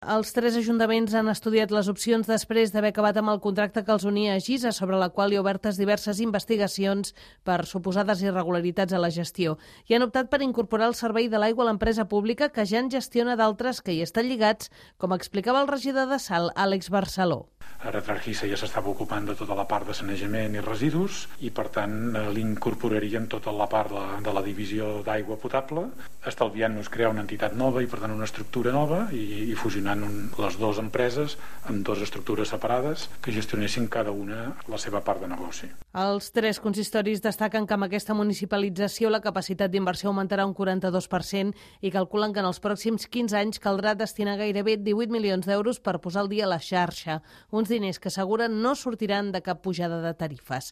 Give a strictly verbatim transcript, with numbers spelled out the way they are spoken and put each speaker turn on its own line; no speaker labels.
Els tres ajuntaments han estudiat les opcions després d'haver acabat amb el contracte que els unia a Gisa, sobre la qual hi ha obertes diverses investigacions per suposades irregularitats a la gestió. I han optat per incorporar el servei de l'aigua a l'empresa pública, que ja en gestiona d'altres que hi estan lligats, com explicava el regidor de Salt, Àlex Barceló.
Ara Gisa ja s'estava ocupant de tota la part de sanejament i residus i, per tant, l'incorporaríem tota la part de, de la divisió d'aigua potable, estalviant-nos crear una entitat nova i, per tant, una estructura nova i, i fusionant un, les dues empreses amb dues estructures separades que gestionessin cada una la seva part de negoci.
Els tres consistoris destaquen que amb aquesta municipalització la capacitat d'inversió augmentarà un quaranta-dos per cent i calculen que en els pròxims quinze anys caldrà destinar gairebé divuit milions d'euros per posar al dia la xarxa, uns diners que asseguren no sortiran de cap pujada de tarifes.